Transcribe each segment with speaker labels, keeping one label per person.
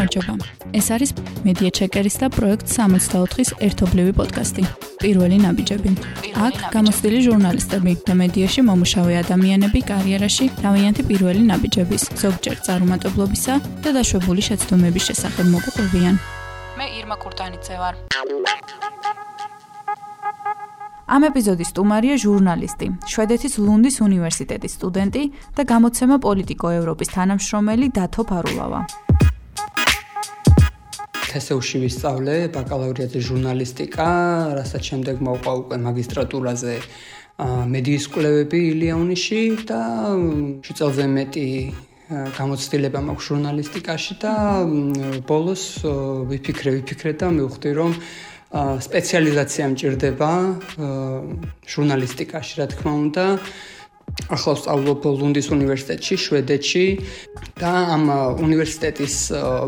Speaker 1: გამარჯობა. ეს არის Media Checker-ის და პროექტ 64-ის ერთობლივი პოდკასტი. პირველი ნაბიჯები. აქ გამოცდილი ჟურნალისტები და მედიაში მომუშავე ადამიანები კარიერაში თავიანთი პირველი ნაბიჯების, ზოგჯერ წარუმატებლობისა და დაშვებული შეცდომების შესახებ მოგვიყვებიან. მე ირმა კურტანიძე ვარ. ამ ეპიზოდის სტუმარია ჟურნალისტი, შვედეთის ლუნდის უნივერსიტეტის სტუდენტი და გამოცემა პოლიტიკო ევროპის თანამშრომელი დათო ფარულავა.
Speaker 2: თესეუში ვისწავლე ბაკალავრიატზე ჟურნალისტიკა, რასაც შემდეგ მოვყვა უკვე მაგისტრატურაზე მედიის კვლევები ილიაუნიში და წელზე მეტი გამოცდილება მაქვს ჟურნალისტიკაში და ბოლოს ვიფიქრე და მივხვდი რომ სპეციალიზაცია მჭირდება ჟურნალისტიკაში, რა თქმა უნდა. ახლა ვსწავლობ ლუნდის უნივერსიტეტში, შვედეთში და ამ უნივერსიტეტის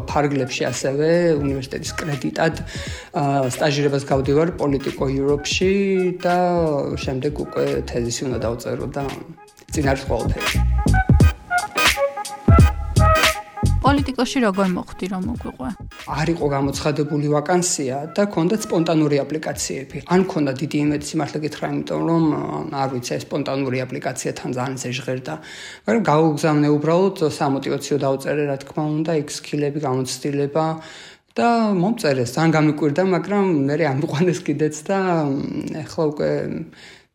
Speaker 2: ფარგლებში ასევე უნივერსიტეტის კრედიტად სტაჟირებას გავდივარ პოლიტიკო ევროპში და შემდეგ უკვე თეზისი უნდა დავწერო და წინ არის ყველაფერი.
Speaker 1: პოლიტიკოში როგორ მოხვდი რომ მოგვიყვე?
Speaker 2: არ იყო გამოცხადებული ვაკანსია და ჰქონდათ სპონტანური აპლიკაციები. ან ჰქონდა დიდი იმედი სიმართლე გითხრა, იმიტომ რომ არ ვიცი, ეს სპონტანური აპლიკაცია თან ძალიან ეჟღერდა. მაგრამ გავუგზავნე უბრალოდ სამოტივაციო დავწერე, რა თქმა უნდა, იქ სკილები, გამოცდილება და მომწერეს. ძალიან გამიკვირდა, მაგრამ მე ამიყვანეს კიდეც და ახლა უკვე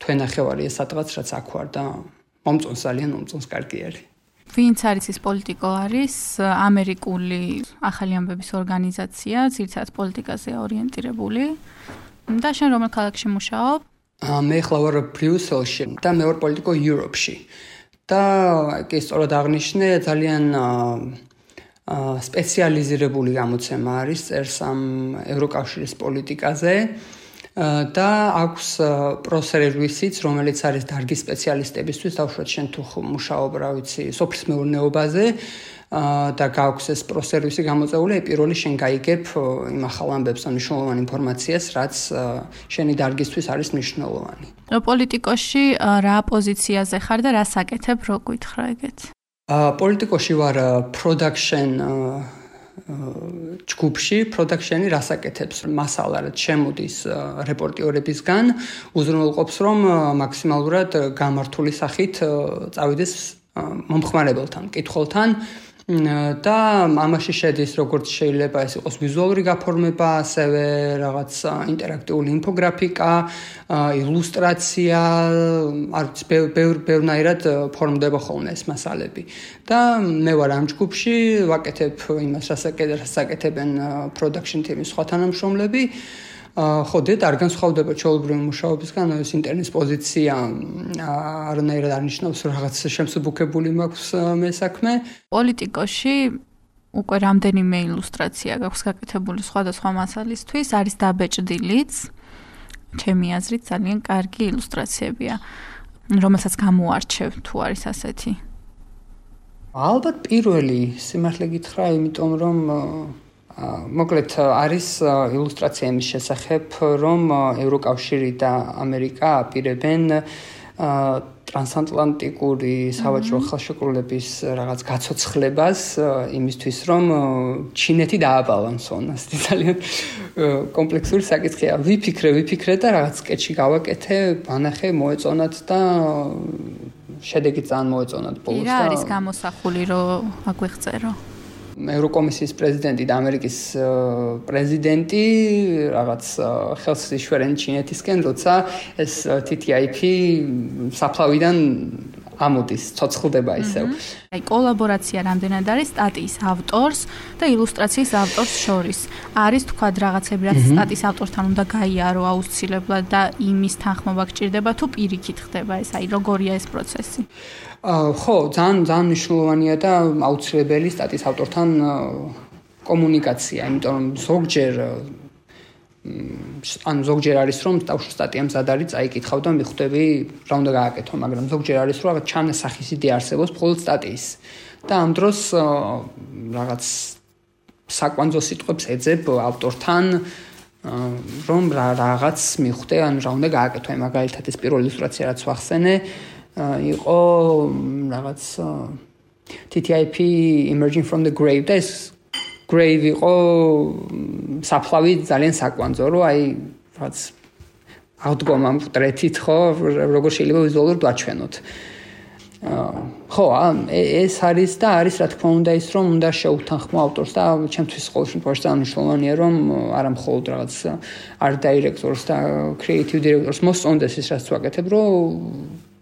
Speaker 2: თვენახევარი ეს სადღაც რაც აქ ვარ და მომწონს ძალიან, მომწონს კარგი არის.
Speaker 1: ვინც არის ეს პოლიტიკო არის ამერიკული ახალი ამბების ორგანიზაცია, ძირითადად პოლიტიკაზე ორიენტირებული. და შენ რომელ ქალაქში მუშაობ?
Speaker 2: მე ახლა ვარ ბრიუსელში და მე ვარ პოლიტიკო ევროპში. და კი სწორად აღნიშნე, ძალიან სპეციალიზირებული გამოცემა არის, წერს ამ ევროკავშირის პოლიტიკაზე. და აქვს პროსერვისიც, რომელიც არის დარგის სპეციალისტებისთვის, დავუშვათ შენ თუ მუშაობ, რა ვიცი, სოფლის მეურნეობაზე და გაქვს ეს პროსერვისი გამოწეული, პირველი შენ გაიგებ იმ ახალ ამბებს, ან მნიშვნელოვან ინფორმაციას, რაც შენი დარგისთვის არის მნიშვნელოვანი.
Speaker 1: პოლიტიკოში რა პოზიციაზე ხარ და რას აკეთებ, რო გითხრა ეგეთ?
Speaker 2: პოლიტიკოში ვარ production ჯგუფში, production-ი რას აკეთებს? მასალა რაც შემოდის რეპორტიორებისგან, უზრუნველყოფს რომ მაქსიმალურად გამართული სახით წავიდეს მომხმარებელთან, მკითხველთან და ამაში შედის როგორც შეიძლება ეს იყოს ვიზუალური გაფორმება, ასევე რაღაც ინტერაქტიული ინფოგრაფიკა, ილუსტრაცია, არც ბევრნაირად ფორმდება ხოლმე ეს მასალები. და მე ვარ ამ ჯგუფში, ვაკეთებ იმას, რასაც აკეთებენ production team-ის სხვა თანამშრომლები. ხო, არ განსხვავდება ჩვეულებრივი მუშაობისგან, ეს ინტერნეტის პოზიცია არანაირად არ ნიშნავს რაღაც შემსუბუქებული მაქვს მე საქმე.
Speaker 1: პოლიტიკოში უკვე რამდენიმე ილუსტრაცია გაქვს გაკეთებული სხვადასხვა მასალისთვის, არის დაბეჭდილიც. ჩემი აზრით ძალიან კარგი ილუსტრაციებია, რომელსაც გამოარჩევ თუ არის ასეთი.
Speaker 2: ალბათ პირველი, სიმართლე გითხრა, იმიტომ რომ მოკლედ არის ილუსტრაცია იმის შესახებ, რომ ევროკავშირი და ამერიკა აპირებენ ტრანსატლანტიკური სავაჭრო ხელშეკრულების რაღაც გაცოცხლებას იმისთვის, რომ ჩინეთი დააბალანსონ. ეს ძალიან კომპლექსური საკითხია. ვიფიქრე და რაღაც სკეჩი გავაკეთე, ანახე, მოეწონათ და შედეგი ძალიან მოეწონათ ბოლოს.
Speaker 1: რა არის გამოსახული, რომ აგვიღწერო?
Speaker 2: ევროკომისიის პრეზიდენტი და ამერიკის პრეზიდენტი რაღაც ხელს იშვერენ ჩინეთისკენ, როცა ეს TTIP საფლავიდან ამოდის, ცოცხლდება ისევ.
Speaker 1: აი კოლაბორაცია რამდენად არის სტატიის ავტორს და ილუსტრაციის ავტორს შორის? არის თქვა რაღაცები, რაც სტატიის ავტორთან უნდა გაიარო აუცილებლად და იმის თანხმობა გჭირდება თუ პირიქით ხდება ეს? აი როგორია ეს პროცესი?
Speaker 2: ხო, ძალიან მნიშვნელოვანია და აუცილებელი სტატიის ავტორთან კომუნიკაცია, იმიტომ რომ ზოგჯერ არის რომ თავშო სტატია მზად არის, წაიკითხავ და მიხვდები რა უნდა გააკეთო, მაგრამ ზოგჯერ არის რომ რაღაც ჩანასახის იდეა არსებობს მხოლოდ სტატიის. და ამ დროს რაღაც საკვანძო სიტყვებს ეძებ ავტორთან, რომ რაღაც მიხვდე, ან რა უნდა გააკეთო. მაგალითად ეს პირველი ილუსტრაცია რაც ვახსენე, იყო რაღაც TTIP emerging from the grave და ეს Grave იყო საფლავი ძალიან საკვანძო, რომ აი რაღაც აღდგომამ ტრეთით ხო, როგორ შეიძლება ვიზუალურად ვაჩვენოთ. ხო, ეს არის და არის რა თქმა უნდა ის რომ უნდა შეუთანხმო ავტორს და ჩემთვის ყოველ შემთხვევაში მნიშვნელოვანია რომ არა მხოლოდ რაღაც art directors და creative directors მოსწონდეს ის რაც ვაკეთებ, რომ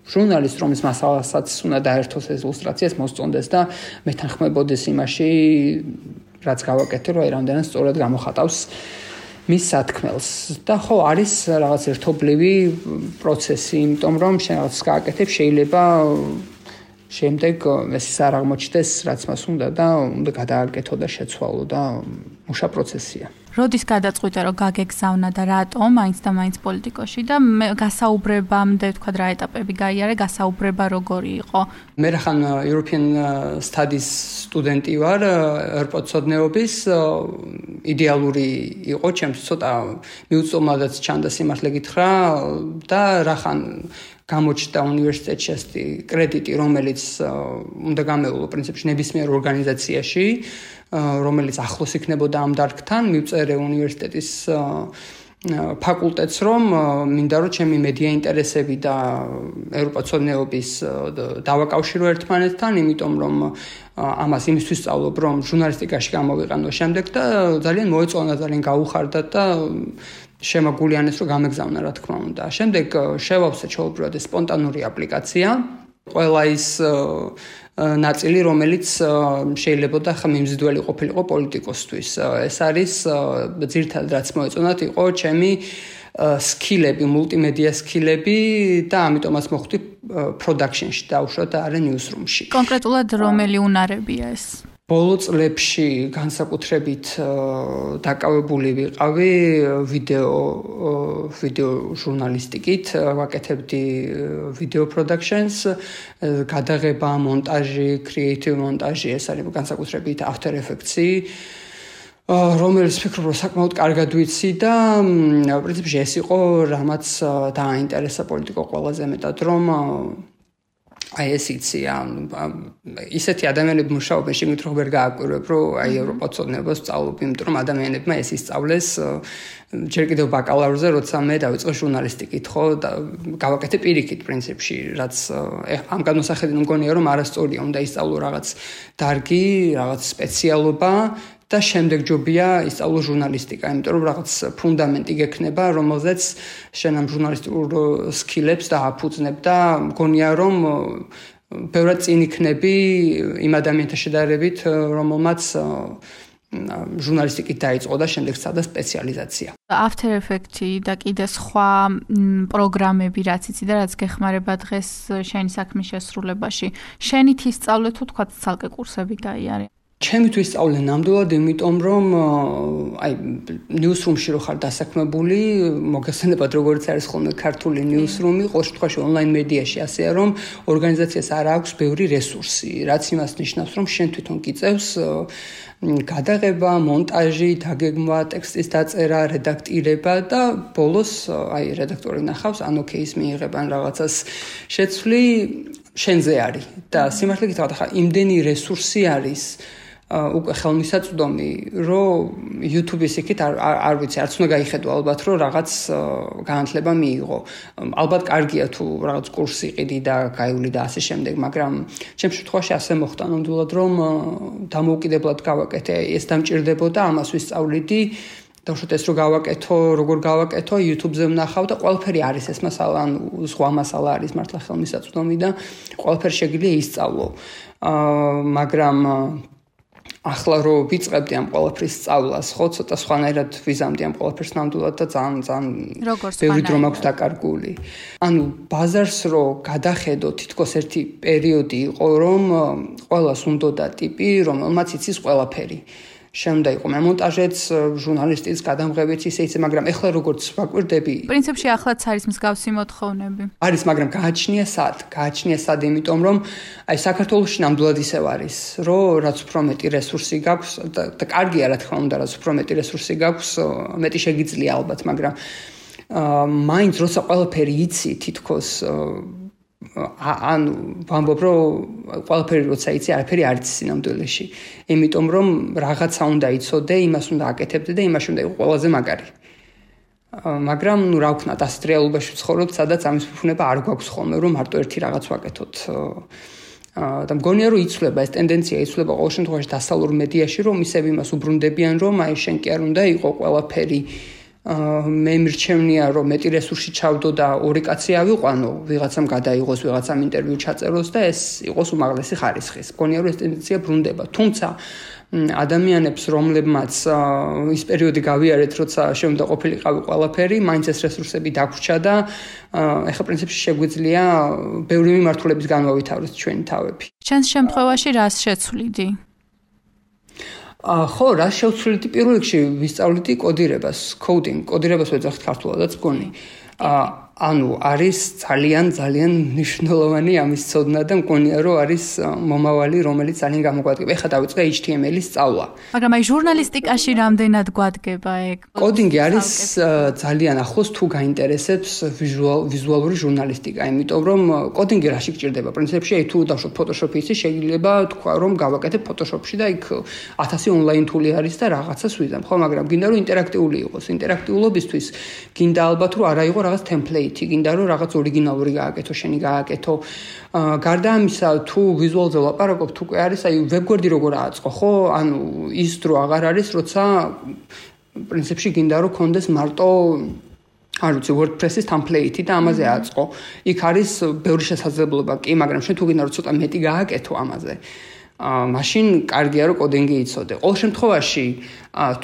Speaker 2: ჟურნალისტ რომის მასალასაც უნდა დაერთოს ეს ილუსტრაციას მოსწონდეს და მეთანხმებოდეს იმაში რაც გავაკეთე, რომ აი რამდენად სწორად გამოხატავს მის სათქმელს და ხო არის რაღაც ერთობლივი პროცესი, იმიტომ რომ შენ რაღაც გააკეთებ შეიძლება შემდეგ ეს არ აღმოჩნდეს რაც მას უნდა და უნდა გადააკეთო და შეცვალო და მუშა პროცესია.
Speaker 1: როდის გადაწყვიტე რომ გაგეგზავნა და რატომ მაინც და მაინც პოლიტიკოში და გასაუბრებამდე თქვა რა ეტაპები გაიარე, გასაუბრება როგორი იყო?
Speaker 2: მე რახან European Studies სტუდენტი ვარ, ერპოცოდნეობის იდეალური იყო, ჩემთვის ცოტა მიუწვდომადაც ჩანდა სიმართლე გითხრა და რახან გამოჩნდა უნივერსიტეტში ასეთი კრედიტი, რომელიც უნდა გამეულო პრინციპში ნებისმიერ ორგანიზაციაში, რომელიც ახლოს იქნებოდა ამ დარგთან, მივწერე უნივერსიტეტის ფაკულტეტს, რომ მინდა რომ ჩემი მედია ინტერესები და ევროპაცოდნეობის დავაკავშირო ერთმანეთთან, იმიტომ რომ ამას იმისთვის სწავლობ, რომ ჟურნალისტიკაში გამოვიყანო შემდეგ და ძალიან მოეწონა, ძალიან გაუხარდა და შემაგულიანეს რომ გამეგზავნა რა თქმა უნდა. შემდეგ შევავსე ჩაუბრალე სპონტანური აპლიკაცია. ყველა ის ნაწილი, რომელიც შეიძლება და ხა მიმზიდველი ყოფილიყო პოლიტიკოსთვის. ეს არის ძირითადად რაც მოეწონათ იყო ჩემი სკილები, მულტიმედია სკილები და ამიტომაც მოხვდი პროდაქშენში და უშუალოდ არა ნიუსრუმში.
Speaker 1: კონკრეტულად რომელი უნარებია ეს?
Speaker 2: ბოლო წლებში განსაკუთრებით დაკავებული ვიყავი ვიდეო ჟურნალისტიკით, ვაკეთებდი ვიდეო პროდაქშენს, გადაღება, მონტაჟი, კრეატივ მონტაჟი, ეს არის განსაკუთრებით After Effects-ი, რომელიც ვფიქრობ, რომ საკმაოდ კარგად ვიცი და პრინციპში ეს იყო რამაც დააინტერესა პოლიტიკო ყველაზე მეტად, რომ აი ეს იცია, ისეთი ადამიანები მუშაობენ, შეგიძლიათ რომ ვერ გააკვირვებ, რომ აი ევროპაცოდნეობას სწავლობ, იმიტომ რომ ადამიანებმა ეს ისწავლეს ჯერ კიდევ ბაკალავრზე, როცა მე დავიწყე ჟურნალისტიკით, ხო, და გავაკეთე პირიქით პრინციპში, რაც ამ განმსახედით მგონია, რომ არასწორია, უნდა ისწავლო რაღაც დარგი, რაღაც სპეციალობა და შემდეგ ჯობია ისწავლო ჟურნალისტიკა, იმიტომ რომ რაღაც ფუნდამენტი გექნება, რომელზეც შენ ამ ჟურნალისტიკურ სკილებს დააფუძნებ და მგონია რომ ბევრად წინ იქნები იმ ადამიანთა შედარებით, რომელმაც ჟურნალისტიკით დაიწყო და შემდეგ სცადა სპეციალიზაცია.
Speaker 1: After Effects-ი და კიდე სხვა პროგრამები რაც იცი და რაც გეხმარება დღეს შენი საქმის შესრულებაში. შენით ისწავლე თუ თქვა ცალკე კურსები გაიარე?
Speaker 2: ჩემთვის სწავლე ნამდვილად, იმიტომ რომ აი ნიუსრუმში რო ხარ დასაქმებული, მოგესალმებათ როგორც არის ხოლმე ქართული ნიუსრუმი, ყოველ შემთხვევაში ონლაინ მედიაში ასეა, რომ ორგანიზაციას არ აქვს ბევრი რესურსი, რაც იმას ნიშნავს, რომ შენ თვითონ გიწევს გადაღება, მონტაჟი, დაგეგმვა, ტექსტის დაწერა, რედაქტირება და ბოლოს აი რედაქტორი ნახავს, ან ოკეის მიიღებან რაღაცას შეცვლი შენზე არის და სიმართლე გითხრათ, ახლა იმდენი რესურსი არის უკვე ხელმისაწვდომი, რომ YouTube-ის იქით არ ვიცი, არც უნდა გაიხედო ალბათ, რომ რაღაც განათლება მიიღო. ალბათ კარგია თუ რაღაც კურსი იყიდი და გაივლი და ასე შემდეგ, მაგრამ ჩემს შემთხვევაში ასე მოხდა ნამდვილად, რომ დამოუკიდებლად გავაკეთე, ეს დამჭირდებოდა, ამას ვისწავლიდი. დავუშვათ ეს რო გავაკეთო, როგორ გავაკეთო, YouTube-ზე ვნახავ და ყველაფერი არის ეს მასალა, ან სხვა მასალა არის მართლა ხელმისაწვდომი და ყველაფერი შეგიძლია ისწავლო. მაგრამ ახლა რო ვიწყებდი ამ ყველაფრის სწავლას, ხო, ცოტა სხვანაირად ვიზამდი ამ ყველაფერს ნამდვილად და ძალიან ბევრი დრო მაქვს დაკარგული. ანუ ბაზარს რო გადახედო, თითქოს ერთი პერიოდი იყო, რომ ყველას უნდოდა ტიპი, რომელმაც იცის ყველაფერი. შემდა იყო მონტაჟეც, ჟურნალისტიც, გადამღებიც ისე, მაგრამ ეხლა როგორც ვაკვირდები,
Speaker 1: პრინციპში ახლაც არის მსგავსი მოთხოვნები.
Speaker 2: არის, მაგრამ გააჩნია სად, იმიტომ რომ აი საქართველოში ნამდვილად ისევ არის, რომ რაც უფრო მეტი რესურსი გაქვს და კარგია რა თქმა უნდა, რაც უფრო მეტი რესურსი გაქვს, მეტი შეგიძლია ალბათ, მაგრამ მაინც როცა ყველაფერი იცი, თითქოს ანუ ვამბობ რომ ყველაფერი როცა იცი არაფერი არ იცი სინამდვილეში იმიტომ რომ რაღაცა უნდა იცოდე იმას უნდა აკეთებდე და იმაში უნდა იყო ყველაზე მაგარი მაგრამ ნუ რა ვქნათ ასეთ რეალობაში ვცხოვრობთ სადაც ამის ფუფუნება არ გვაქვს ხოლმე რომ მარტო ერთი რაღაც ვაკეთოთ და მგონია რომ იცვლება ეს ტენდენცია იცვლება ყოველ შემთხვევაში დასავლურ მედიაში რომ ისევ იმას უბრუნდებიან რომ აი შენ კი არ უნდა იყო ყველაფერი მე მირჩევნია რომ მეტი რესურსი ჩავდო და ორი კაცი ავიყვანო ვიღაცამ გადაიღოს ვიღაცამ ინტერვიუ ჩაწეროს და ეს იყოს უმაღლესი ხარისხის მგონია რომ ეს ტენდენცია ბრუნდება თუმცა ადამიანებს რომლებმაც ის პერიოდი გავიარეთ როცა შეუნდა ყოფილიყავი ყველაფერი მაინც ეს რესურსები დაგვრჩა და ეხლა პრინციპში შეგვიძლია ბევრი მიმართულების განვავითაროთ ჩვენი თავები
Speaker 1: ჩვენს შემთხვევაში რას შეცვლიდი
Speaker 2: ხო, რა შევცვლით პირველ რიგში ვისწავლიდი კოდირებას, კოდირებას ვეძახით ქართულადაც მგონი. ანუ არის ძალიან მნიშვნელოვანი ამის ცოდნა და მგონია რომ არის მომავალი რომელიც ძალიან გამოგვადგება. ეხლა დავიწყე HTML-ის სწავლა.
Speaker 1: მაგრამ აი ჟურნალისტიკაში რამდენად გვადგება ეგ?
Speaker 2: კოდინგი არის ძალიან ახლოს თუ გაინტერესებს ვიზუალური ჟურნალისტიკა, იმიტომ რომ კოდინგი რაში გჭირდება? პრინციპში აი თუ დავშოთ Photoshop-ი ისი შეიძლება თქვა რომ გავაკეთებ Photoshop-ში და იქ 1000 ონლაინ თული არის და რაღაცას ვიზამ. ხო, მაგრამ გინდა რომ ინტერაქტიული იყოს. ინტერაქტიულობისთვის გინდა ალბათ რომ არა იყოს რაღაც template გინდა რომ რაღაც ორიგინალური გააკეთო, შენი გააკეთო. გარდა ამისა, თუ ვიზუალზე ლაპარაკობ, თუ კი არის, აი ვებგვერდი როგორ ააწყო, ხო? ანუ ის დრო აღარ არის, როცა პრინციპში გინდა რომ კონდეს მარტო არ ვიცი WordPress-ის template და ამაზე ააწყო. იქ არის ბევრი შესაძლებლობა, კი, მაგრამ შენ თუ გინდა რომ ცოტა მეტი გააკეთო ამაზე. მაშინ კარგია რომ კოდინგი იცოდე. ყოველ შემთხვევაში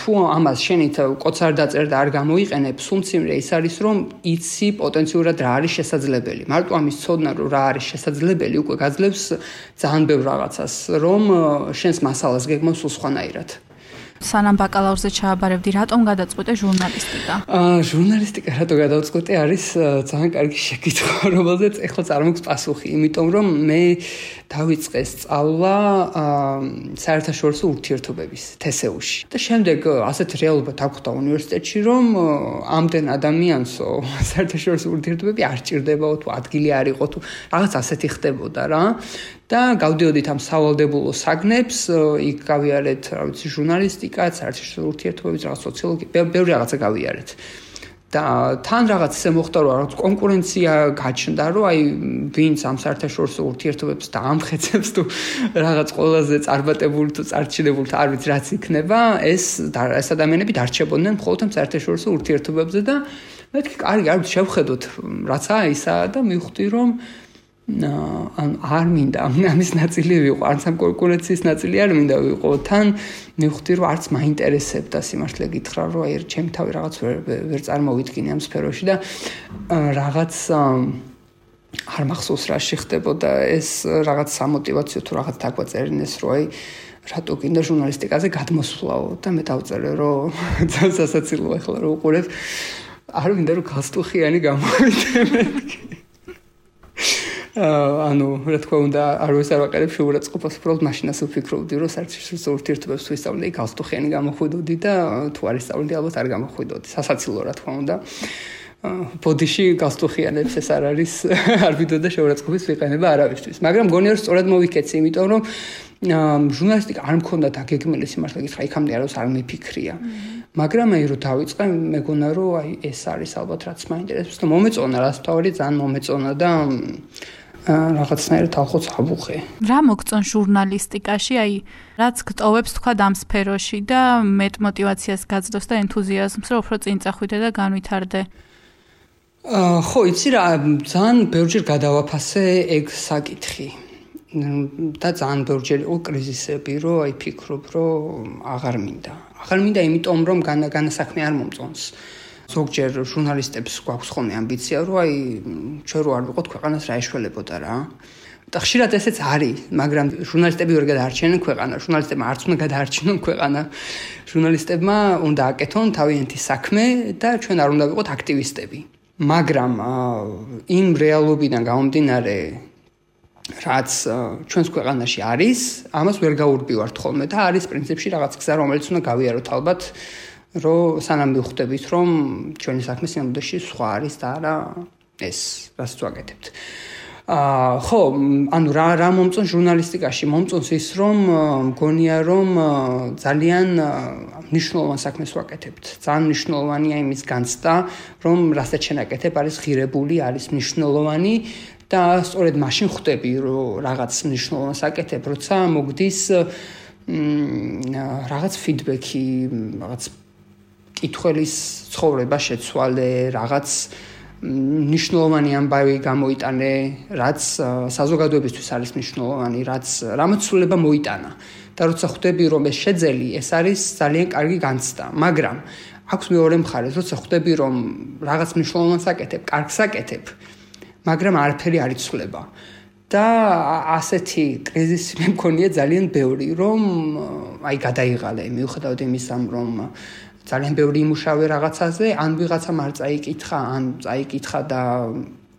Speaker 2: თუ ამას შენით კოდს არ დაწერ და არ გამოიყენებ, სულმციმრე ის არის რომ იცი პოტენციურად რა არის შესაძლებელი. მარტო ამის ცოდნა რომ რა არის შესაძლებელი უკვე გაძლევს ძალიან ბევრ რაღაცას, რომ შენს მასალას გეგმავს სულ სხვანაირად.
Speaker 1: სანამ ბაკალავრზე ჩააბარებდი, რატომ გადაწყვეტე ჟურნალისტიკა?
Speaker 2: ჟურნალისტიკა რატო გადავწყვეტე არის ძალიან კარგი შეკითხვა, რომელზეც ეხლა წარმოგს პასუხი, იმიტომ რომ მე დავიწყე სწავლა საერთაშორისო ურთიერთობების TSU-ში. და შემდეგ ასეთ რეალობა დაგვხვდა უნივერსიტეტში, რომ ამდენ ადამიანსო საერთაშორისო ურთიერთობები არ ჭირდებაო თუ ადგილი არ იყო თუ რაღაც ასეთი ხდებოდა რა. და გავდიოდით ამ სავალდებულო საგნებს, იქ გავიარეთ, რა ვიცი, ჟურნალისტიკა, საერთაშორისო ურთიერთობების, რაღაც სოციოლოგია, ბევრი რაღაცა გავიარეთ. და თან რაღაც ისე მოხდა, რომ რაღაც კონკურენცია გაჩნდა, რომ აი ვინც ამ საერთაშორისო ურთიერთობებს დაამხეცებს თუ რაღაც ყველაზე წარმატებული თუ წარჩინებული, არ ვიცი რაც იქნება, ეს ადამიანები დარჩებოდნენ მხოლოდ ამ საერთაშორისო ურთიერთობებზე და მეთქი კარგი, არ ვიცი, შევხედოთ, რაცა ისაა და მივხვდი, რომ არ მინდა ამის ნაწილი ვიყო, არც ამ კონკურენციის ნაწილი არ მინდა ვიყო. თან მივხვდი, რომ არც მაინტერესებდა სიმართლე გითხრა, რომ აი ჩემი თავი რაღაც ვერ წარმოვიდგინე ამ სფეროში და რაღაც არ მახსოვს რა შეხდებოდა ეს რაღაც სამოტივაციო თუ რაღაც დაგვაწერინეს, რომ აი რატო გინდა ჟურნალისტიკაზე გადმოსვლაო და მე დავწერე, რომ ძალიან სასაცილოა ახლა რომ უყურებ, არ მინდა რომ გასტუხიანი გამოვიდე მეთქი. ანუ რა თქმა უნდა არ ვესაუბრებ შეურაცხყოფას უბრალოდ მაშინას ვფიქრობდი რომ საერთაშორისო ურთიერთობებს თუ ისწავლე გასტუხიანი გამოხვიდოდი და თუ არ ისწავლე ალბათ არ გამოხვიდოდი სასაცილო რა თქმა უნდა ბოდიში გასტუხიანებს ეს არ არის არ ვიდოდა შეურაცხყოფის ვიყენება არავისთვის მაგრამ მგონია რომ სწორად მოვიქეცი იმიტომ რომ ჟურნალისტიკა არ მქონდა დაგეგმილი სიმართლე გითხრა იქამდე არავის არ მიფიქრია მაგრამ აი რომ დავიწყე მეგონა რომ აი ეს არის ალბათ რაც მაინტერესებს და მომეწონა რა სწავალი ძალიან მომეწონა და რაღაცნაირად ალბათ ავუხე. რა
Speaker 1: მოგწონ ჟურნალისტიკაში, აი, რაც გტოვებს თქვა ამ სფეროში და მეტ мотиваციას გაძლევს და ენთუზიაზმს, რომ უფრო წინ წახვიდე და განვითარდე.
Speaker 2: ხო, იცი რა, ძალიან ბევრჯერ გადავაფასე ეგ საკითხი. და ძალიან ბევრჯერ იყო კრიზისები, რომ აი ფიქრობ, რომ აღარ მინდა. აღარ მინდა იმიტომ, რომ განასაქმე არ მომწონს. ზოგჯერ ჟურნალისტებს გვაქვს ხოლმე ამბიცია, რომ აი ჩვენ რო არ ვიყოთ ქვეყანას რა ეშველებოდა რა. და ხშირად ესეც არის, მაგრამ ჟურნალისტები ვერ გადაარჩენენ ქვეყანა, ჟურნალისტებმა არც უნდა გადაარჩინონ ქვეყანა. ჟურნალისტებმა უნდა აკეთონ თავიანთი საქმე და ჩვენ არ უნდა ვიყოთ აქტივისტები. მაგრამ იმ რეალობიდან გამომდინარე რაც ჩვენს ქვეყანაში არის, ამას ვერ გაურბივართ ხოლმე და არის პრინციპში რაღაც გზა, რომელიც უნდა გავიაროთ ალბათ. რომ სანამ მივხვდებით, რომ ჩვენი საქმე სინამდვილეში სხვა არის და არა ეს, რაც ვაკეთებთ. ხო, ანუ რა მომწონს ჟურნალისტიკაში? მომწონს ის, რომ მგონია, რომ ძალიან მნიშვნელოვან საქმეს ვაკეთებთ. ძალიან მნიშვნელოვანია იმის განცდა, რომ რასაც შენაკეთებ არის ღირებული, არის მნიშვნელოვანი და სწორედ მაშინ ხვდები, რომ რაღაც მნიშვნელოვანს აკეთებ, როცა მოგდის რაღაც ფიდბექი, რაღაც კითხველის ცხოვრება შეცვალე, რაღაც ნიშნულოვანი ამბავი გამოიტანე, რაც საზოგადოებისთვის არის ნიშნულოვანი, რამაც სულება მოიტანა. და როცა ხვდები, რომ ეს შეძელი, ეს არის ძალიან კარგი განცდა, მაგრამ აქვს მეორე მხარეს, როცა ხვდები, რომ რაღაც ნიშნულოვანს აკეთებ, კარგს აკეთებ, მაგრამ არაფერი არ იცვლება. და ასეთი კრიზისი მე მქონია ძალიან ბევრი, რომ გადაიღალე, მიუხედავად იმისა, რომ ძალიან ბევრი იმუშავე რაღაცაზე, ან ვიღაცამ არ წაიკითხა, ან წაიკითხა და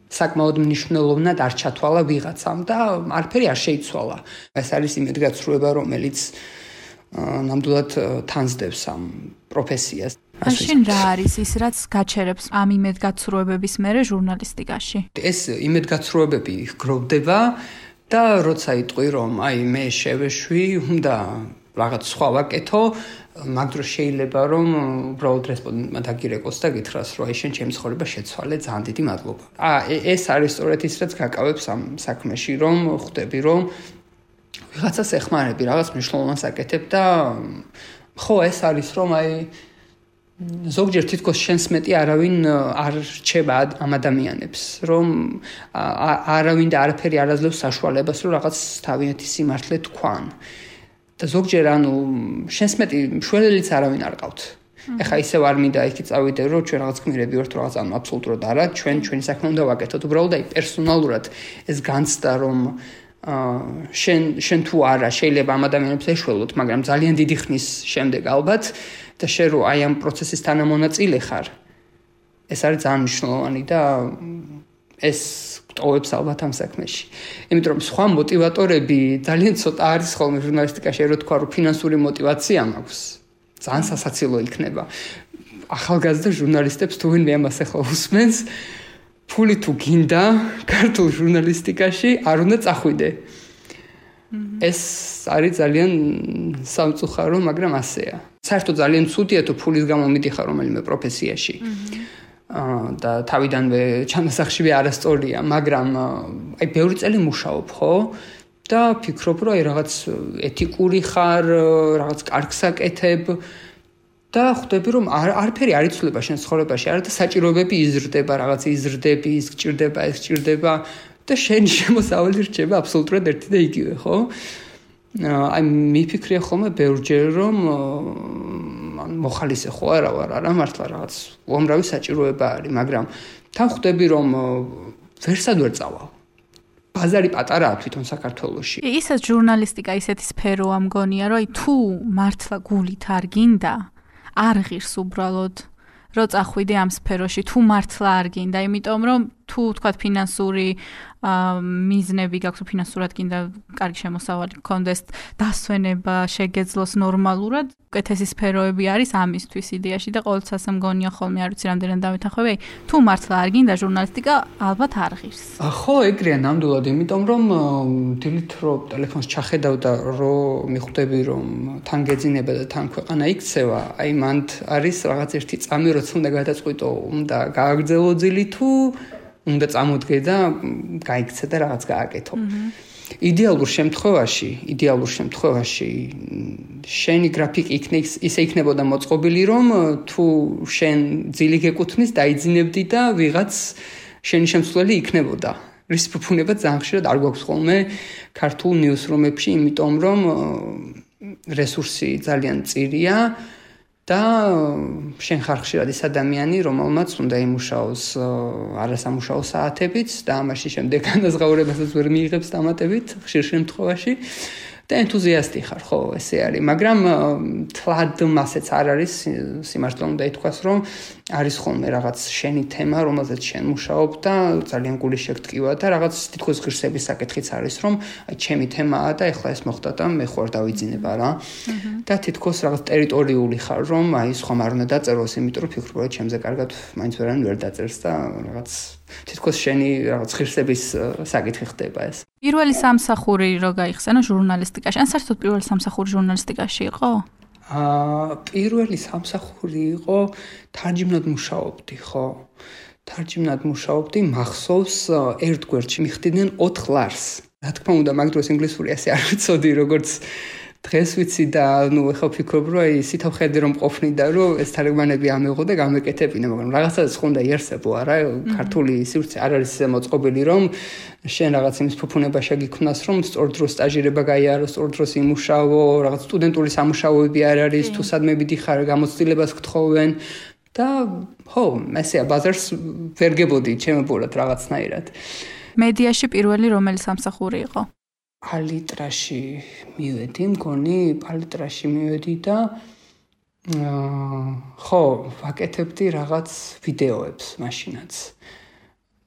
Speaker 2: საკმაოდ მნიშვნელოვნად არ ჩათვალა ვიღაცამ და არაფერი არ შეიცვალა. ეს არის იმედგაცრუება, რომელიც ნამდვილად თანძდებს ამ პროფესიას.
Speaker 1: მაშინ რა არის ის, რაც გაჩერებს ამ იმედგაცრუებების მერე ჟურნალისტიკაში? ეს
Speaker 2: იმედგაცრუებები გროვდება და როცა იტყვი, რომ მე შევეშვი, უნდა რაღაც სხვა ვაკეთო, მაგ დროს შეიძლება რომ უბრალოდ რესპონდენტმა დაგირეკოს და გითხრას, რომ შენ ჩემი ცხოვრება შეცვალე, ძალიან დიდი მადლობა. ეს არის სწორედ ის, რაც გაკავებს ამ საქმეში, რომ ხვდები, რომ ვიღაცას ეხმარები, რაღაც მნიშვნელოვანს აკეთებ და ხო, ეს არის, რომ ზოგჯერ თითქოს შენს მეტი არავინ არ რჩება ამ ადამიანებს, რომ არავინ და არაფერი არ აძლევს საშუალებას, რომ რაღაც თავიანთი სიმართლე თქვან. და ზოგჯერ შენს მეტი მშველელიც არავინ არ ყავთ. ეხა ისევ არ მინდა იქ წავიდე, რომ ჩვენ რაღაც გმირები ვართ, რაღაც აბსოლუტურად არა, ჩვენი საქმე უნდა ვაკეთოთ. უბრალოდ პერსონალურად ეს განცდა, რომ შენ თუ არა შეიძლება ამ ადამიანებს ეშველოთ, მაგრამ ძალიან დიდი ხნის შემდეგ ალბათ და შენ რო ამ პროცესის თანამონაწილე ხარ, ეს არის ძალიან მნიშვნელოვანი და ეს ტოვებს ალბათ ამ საქმეში. იმიტომ რომ სხვა მოტივატორები ძალიან ცოტა არის ხოლმე ჟურნალისტიკაში, რო თქვა, რომ ფინანსური მოტივაცია მაქვს. ძალიან სასაცილო იქნება. ახალგაზრდა ჟურნალისტებს თუ ვინმე ამას ახლა უსმენს, ფული თუ გინდა ქართულ ჟურნალისტიკაში არ უნდა წახვიდე. ეს არის ძალიან სამწუხარო, მაგრამ ასეა. საერთოდ ძალიან ცუდია თუ ფულის გამო მიდიხარ რომელიმე პროფესიაში. და თავიდანვე ჩანასახშივე არასწორია, მაგრამ ბევრი წელი მუშაობ, ხო? და ფიქრობ, რომ რაღაც ეთიკური ხარ, რაღაც კარგს აკეთებ და ხვდები, რომ არაფერი არ იცვლება შენ ცხოვრებაში, არა და საჭიროებები იზრდება, რაღაც იზრდები, ის გჭირდება და შენი შემოსავალი რჩება აბსოლუტურად ერთი და იგივე, ხო? მიფიქრია ხოლმე ბევრჯერ, რომ მოხალისე ხო არა ვარ, არა მართლა რაღაც უამრავი საჭიროება არის, მაგრამ თან ხვდები, რომ ვერსად ვერ წავალ. ბაზარი პატარაა თვითონ საქართველოში.
Speaker 1: ისაც ჟურნალისტიკა ისეთი სფეროა მგონია, რომ თუ მართლა გულით არ გინდა, არ ღირს უბრალოდ, რომ წახვიდე ამ სფეროში, თუ მართლა არ გინდა, იმიტომ რომ თუ თქვა ფინანსური მიზნები გაქვს, ფინანსურად გინდა კარგი შემოსავალი გქონდეს, დასვენება შეგეძლოს ნორმალურად, უკეთესი სფეროები არის ამისთვის იდეაში და ყოველთვის ასე მგონია ხოლმე, არ ვიცი რამდენად დამეთანხმები, თუ მართლა არ გინდა ჟურნალისტიკა, ალბათ არ ღირს.
Speaker 2: ხო, ეგრეა ნამდვილად, იმიტომ რომ დილით რო ტელეფონს ჩახედავ და რო მიხვდები, რომ თან გეძინება და თან ქვეყანა იქცევა, მანდ არის რაღაც ერთი წამი, როცა უნდა გადაწყვიტო, უნდა გააგრძელო ძილი თუ უნდა წამოდგე და გაიქცე და რაღაც გააკეთო. იდეალურ შემთხვევაში შენი გრაფიკი ისე იქნებოდა მოწყობილი, რომ თუ შენ ძილი გეკუთვნის, დაიძინებდი და ვიღაც შენი შემცვლელი იქნებოდა. რის ფუფუნება ძალიან ხშირად არ გვაქვს ხოლმე ქართულ ნიუსრუმებში, იმიტომ რომ რესურსი ძალიან მწირია და შენ ხარ ხშირად ის ადამიანი, რომელმაც უნდა იმუშაოს არასამუშაო საათებით და ამაში შემდეგ განაზღაურებასაც ვერ მიიღებს დამატებით ხშირ შემთხვევაში და ენთუზიასტი ხარ, ხო, ესე არის, მაგრამ თლად მასეც არ არის, სიმართლე უნდა ითქვას, რომ არის ხოლმე რაღაც შენი თემა, რომელზეც შენ მუშაობ და ძალიან გული შეგტკივა და რაღაც თითქოს ღირსების საკითხიც არის, რომ ჩემი თემაა და ეხლა ეს მოხდა და მე ხوار დავიძინება რა. და თითქოს რაღაც ტერიტორიული ხარ, რომ სხვამ არ უნდა დაწეროს, იმიტომ რომ ფიქრობ, რომ ჩემზე კარგად მაინც ვერანი ვერ დაწერს და რაღაც თითქოს შენი რაღაც ღირსების საკითხი ხდება ეს.
Speaker 1: პირველი სამსახური რო გაიხსენო ჟურნალისტიკაში, ან საერთოდ პირველი სამსახური ჟურნალისტიკაში იყო?
Speaker 2: პირველი სამსახური იყო თარჯიმნად მუშაობდი, ხო? თარჯიმნად მუშაობდი, მახსოვს ერთ გვერდში მიხდიდნენ 4 ლარს. რა თქმა უნდა, მაგ დროს ინგლისური ასე არ ვიცოდი, როგორც დღეს ვიცი და ეხლა ვფიქრობ, რომ სითავ ხედი რომ ყოფნიდა, რომ ეს თარგმანები ამეღო და გამეკეთებინა, მაგრამ რაღაცას ხონდა იარსებო, არა, ქართული სივრცე არ არის მოწყობილი, რომ შენ რაღაც იმის ფუფუნება შეგიქმნას, რომ სწორ დროს სტაჟირება გაიარო, სწორ დროს იმუშაო, რაღაც სტუდენტური სამუშაოები არ არის, თუ სადმე მიდიხარ, გამოცდილებას გთხოვენ და ხო, ესეა ბაზარს ვერ გებოდი ჩემებურად რაღაცნაირად.
Speaker 1: მედიაში პირველი რომელი სამსახური იყო?
Speaker 2: პალიტრაში მივედი, მგონი პალიტრაში მივედი და ხო, ვაკეთებდი რაღაც ვიდეოებს მაშინაც.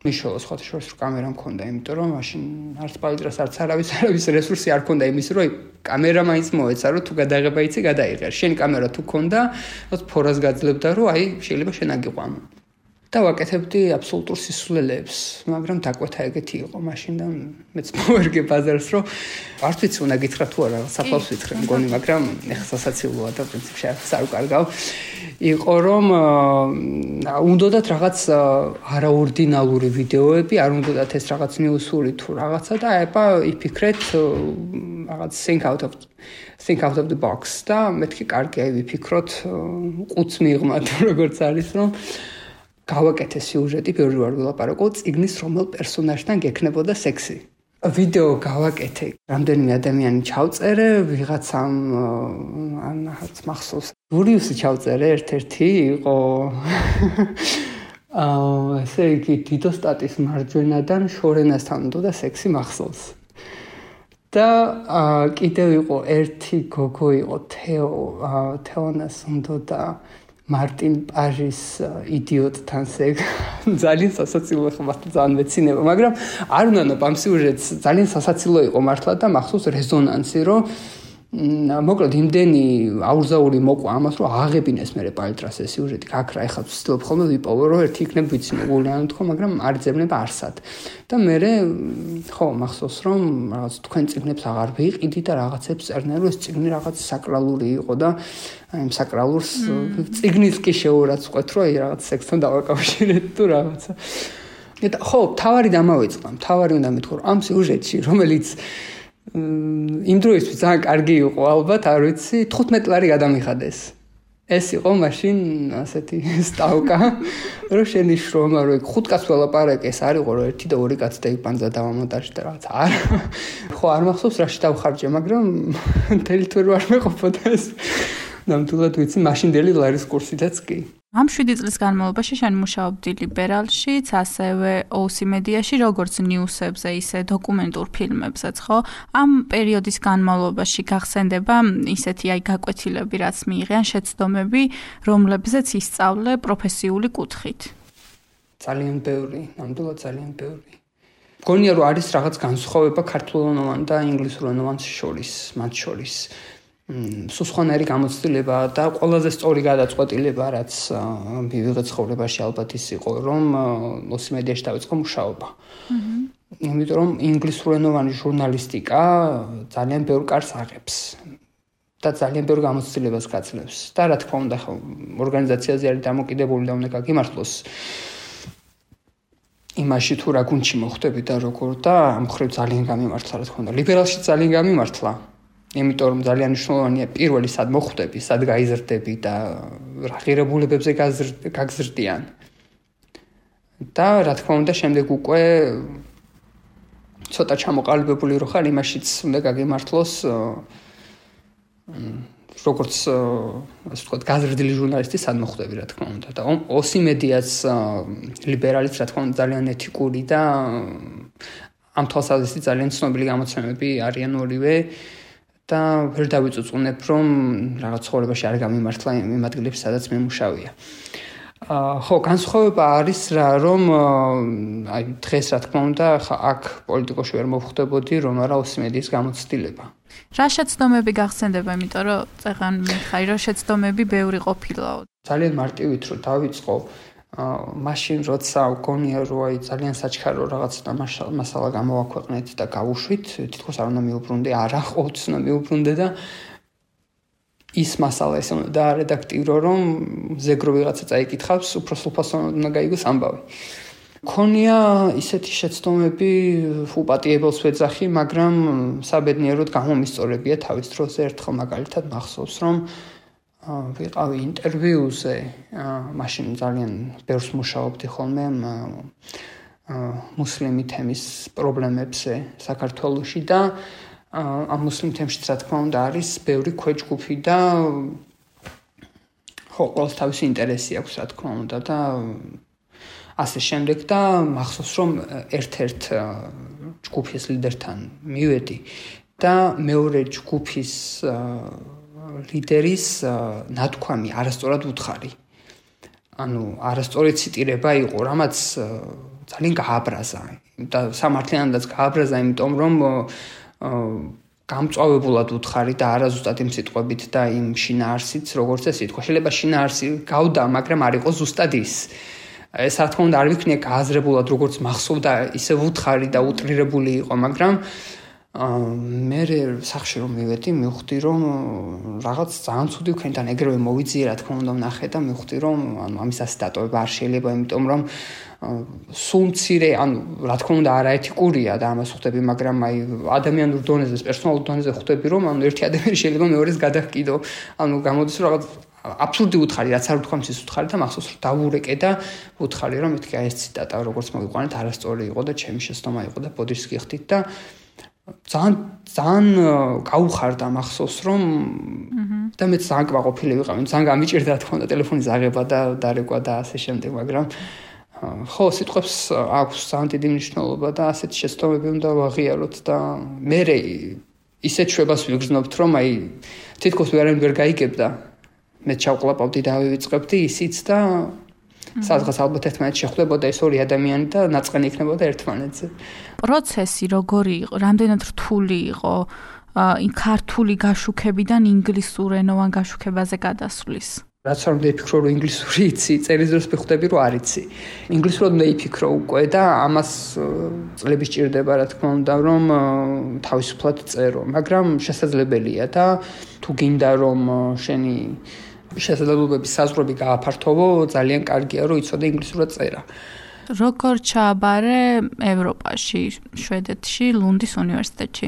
Speaker 2: მიშოლა სხვათაშორის რომ კამერა მქონდა, იმიტომ რომ მაშინ არც პალიტრას არც არავის რესურსი არ ქონდა იმის, რომ კამერა მაინც მოეცა, რომ თუ გადაღება იცი, გადაიღერ. შენ კამერა თუ ქონდა, რაც ფორას გაძლებდა, რომ შეიძლება შენ აგიყვანო. და ვაკეთებდი აბსოლუტურ სისულელეებს, მაგრამ დაკვეთა ეგეთი იყო მაშინ და მეც მოვერგე ბაზარს, რომ არ ვიცი უნდა გითხრა თუ არა, საფლავს ვითხრე, მგონი, მაგრამ ეხლა სასაცილოა და პრინციპში არ უკარგავ. იყო რომ უნდათ რაღაც არაორდინალური ვიდეოები, არ უნდათ ეს რაღაც ნიუსური თუ რაღაცა და იფიქრეთ რაღაც think out of the box და მეთქი კარგი ვიფიქროთ ყუთს მიღმათ როგორც არის რომ გავაკეთე სიუჟეტი, ბევრი ვარ ვილაპარაკო, წიგნის რომელ პერსონაჟთან გექნებოდა სექსი. ვიდეო გავაკეთე, რამდენიმე ადამიანი ჩავწერე, ვიღაცამ ანაც მახსოვს. გურიუსი ჩავწერე, ერთ-ერთი იყო ესე იგი დიდოსტატის მარჯვენადან შორენასთან უნდა სექსი მახსოვს. და კიდევ იყო ერთი გოგო იყო თეონას უნდა და მარტინ პაჟის იდიოტთან ძალიან სასაცილო ხმა ძალიან მეცინება, მაგრამ არ უნდა ამ სიუჟეტს ძალიან სასაცილო იყო მართლა და მახსოვს რეზონანსი, რომ მოკლედ იმდენი აურზაური მოყვა ამას, რომ აღებინეს მე პალიტრას ეს სიუჟეტი გაქრა, ეხლა ვცდილობ ხოლმე ვიპოვო, რომ ერთი იქნებ ვიცი მოგულიანო თქო, მაგრამ არ ძებნება არსად. და მე ხო მახსოვს, რომ რაღაც თქვენ წიგნებს აღარ ვიყიდი და რაღაცებს წერდნენ, რომ ეს წიგნი რაღაც საკრალური იყო და აი საკრალურს წიგნის კი შეურაცხყვეთ, რომ აი რაღაც სექსთან დავაკავშირეთ თუ რაღაცა. და ხო, თავარი დამავიწყდა. თავარი უნდა მეთქო, რომ ამ სიუჟეტში, რომელიც იმ დროისთვის ძალიან კარგი იყო, ალბათ, არ ვიცი, 15 ლარი გადამიხადეს. ეს იყო მაშინ ასეთი სტავკა, რომ შენი შრომა, რომ 5 კაცს ველაპარაკე, ეს არ იყო, რომ 1 და 2 კაცს დაიფანძა დავამონტაჟე და რაღაც. ხო, არ მახსოვს რაში დავხარჯე, მაგრამ მთელი თვე არ მეყოფოდა ეს. ნამდვილად ვიცი, მაშინდელი ლარის კურსიდაც კი.
Speaker 1: ამ 7 წლის განმავლობაში შენ მუშაობდი ლიბერალშიც, ასევე OC მედიაში, როგორც ნიუსებზე, ისე დოკუმენტურ ფილმებზეც, ხო? ამ პერიოდის განმავლობაში გახსენდება ისეთი გაკვეთილები, რაც მიიღიან შეცდომები, რომლებზეც ისწავლე პროფესიული კუთხით.
Speaker 2: ძალიან ბევრი, ნამდვილად ძალიან ბევრი. მგონია, რომ არის რაღაც განსხვავება ქართულენოვან და ინგლისურენოვანს შორის, მათ შორის. სუსხანარი გამოცდილება და ყველაზე სწორი გადაწყვეტილება, რაც მივიღე ცხოვრებაში ალბათ ის იყო, რომ OC მედიაში დავიწყო მუშაობა. იმიტომ რომ ინგლისურენოვანი ჟურნალისტიკა ძალიან ბევრ კარს აღებს და ძალიან ბევრ გამოცდილებას გაძლევს. და რა თქმა უნდა, ხო, ორგანიზაციაზე არის დამოკიდებული და უნდა გაგიმართლოს იმაში თუ რა გუნდში მოხვდები და როგორ და ამ ხრივ ძალიან გამიმართლა, რა თქმა უნდა. ლიბერალში ძალიან გამიმართლა. იმიტომ რომ ძალიან მნიშვნელოვანია პირველი სად მოხვდები, სად გაიზრდები და რა ღირებულებებზე გაგზრდიან. და რა თქმა უნდა, შემდეგ უკვე ცოტა ჩამოყალიბებული რო ხარ, იმაშიც უნდა გაგიმართლოს როგორც ასე ვთქვათ, გაზრდილი ჟურნალისტი სად მოხვდები, რა თქმა უნდა. და OC მედიაც ლიბერალიც რა თქმა უნდა ძალიან ეთიკური და ამ თვალსაზრისით ძალიან ცნობილი გამოცემები არიან ორივე. და ვერ დავიწუწუნებ, რომ რაღაც ცხოვრებაში არ გამიმართლა იმ ადგილებში, სადაც მე მუშავია. ხო, განსხვავება არის რა, რომ აი დღეს რა თქმა უნდა, აქ პოლიტიკოში ვერ მოვხვდებოდი, რომ არა OC მედიის გამოცდილება.
Speaker 1: რა შეცდომები გახსენდება, იმიტომ რომ წეღან მიხარი, რომ შეცდომები ბევრი ყოფილაო.
Speaker 2: ძალიან მარტივით რომ დავიწყო, მაშინ როცა გონია რომ ძალიან საჩქარო რაღაც მასალა გამოვაქვეყნეთ და გავუშვით, თითქოს არ უნდა მიუბრუნდე, არა, ყოველთვის უნდა მიუბრუნდე და ის მასალა ესე უნდა დაარედაქტირო, რომ ზეგრო ვიღაცა წაიკითხავს, უფრო სრულფასოვნად უნდა გაიგოს ამბავი. მქონია ისეთი შეცდომები, უპატიებელს ვეძახი, მაგრამ საბედნიეროდ გამომისწორებია თავის დროზე. ერთხელ მაგალითად მახსოვს, რომ ვიყავი ინტერვიუზე, მაშინ ძალიან ბევრს მუშაობდი ხოლმე მუსლიმი თემის პრობლემებზე საქართველოში და ამ მუსლიმ თემშიც რა თქმა უნდა არის ბევრი ქვეჯგუფი და ხო, ყველას თავისი ინტერესი აქვს რა თქმა უნდა და ასე შემდეგ და მახსოვს რომ ერთ-ერთ ჯგუფის ლიდერთან მივედი და მეორე ჯგუფის ლიდერის ნათქვამი არასწორად უთხარი. ანუ არასწორი ციტირება იყო, რამაც ძალიან გააბრაზა და სამართლიანადაც გააბრაზა, იმიტომ რომ გამწვავებულად უთხარი და არაზუსტად იმ სიტყვებით და იმ შინაარსით, როგორც ეს ითქვა. შეიძლება შინაარსი გავდა, მაგრამ არ იყო ზუსტად ის. ეს რა თქმა უნდა არ ვიქნია გააზრებულად, როგორც მახსოვდა, ისე უთხარი და უტრირებული იყო, მაგრამ მე სახში რომ მივედი, მივხვდი რომ რაღაც ძალიან ცუდი ვქენთან ეგრევე მოვიძიე, რა თქმა უნდა ვნახე და მივხვდი რომ ანუ ამისას დატოვება არ შეიძლება, იმიტომ რომ სულ მცირე, ანუ რა თქმა უნდა არაეთიკურია და ამას ხვდები, მაგრამ აი ადამიანურ დონეზე, პერსონალურ დონეზე ხვდები რომ ანუ ერთი ადამიანი შეიძლება მეორეს გადაჰკიდო, ანუ გამოდის რომ რაღაც აბსურდი უთხარი, რაც არ უთქვამს ის უთხარი და მახსოვს რომ დავურეკე და უთხარი რომ მეთქი აი ეს ციტატა როგორც მოვიყვანეთ არასწორი იყო და ჩემი შეცდომა იყო და ბოდიშს გიხდით და ძალიან გაუხარდა მახსოვს რომ და მეც ძალიან კმაყოფილი ვიყავი, ძალიან გამიჭირდა რა თქმა უნდა ტელეფონის აღება და დარეკვა და ასე შემდეგ, მაგრამ ხო, სიტყვებს აქვს ძალიან დიდი მნიშვნელობა და ასეთი შეცდომები უნდა ვაღიაროთ და მე ისეთ შვებას ვიგრძნობთ რომ აი თითქოს ვერავინ ვერ გაიგებდა. მე ჩავყლაპავდი და ავივიწყებდი ისიც და სადღაც ალბათ ერთმანეთს შეხვდებოდა ეს ორი ადამიანი და ნაწყენი იქნებოდა ერთმანეთზე.
Speaker 1: პროცესი როგორი იყო? რამდენად რთული იყო იმ ქართული გაშუქებიდან ინგლისურენოვან გაშუქებაზე გადასვლის?
Speaker 2: რაც არ უნდა იფიქრო რომ ინგლისური იცი, წერის დროს ვხვდები რომ არ იცი. ინგლისურად უნდა იფიქრო უკვე და ამას წლები სჭირდება რა თქმა უნდა რომ თავისუფლად წერო, მაგრამ შესაძლებელია და თუ გინდა რომ შენი შესაძლებლობების საზღვრები გააფართოვო, ძალიან კარგია რომ იცოდე ინგლისურად წერა.
Speaker 1: როგორ ჩააბარე ევროპაში, შვედეთში, ლუნდის უნივერსიტეტში?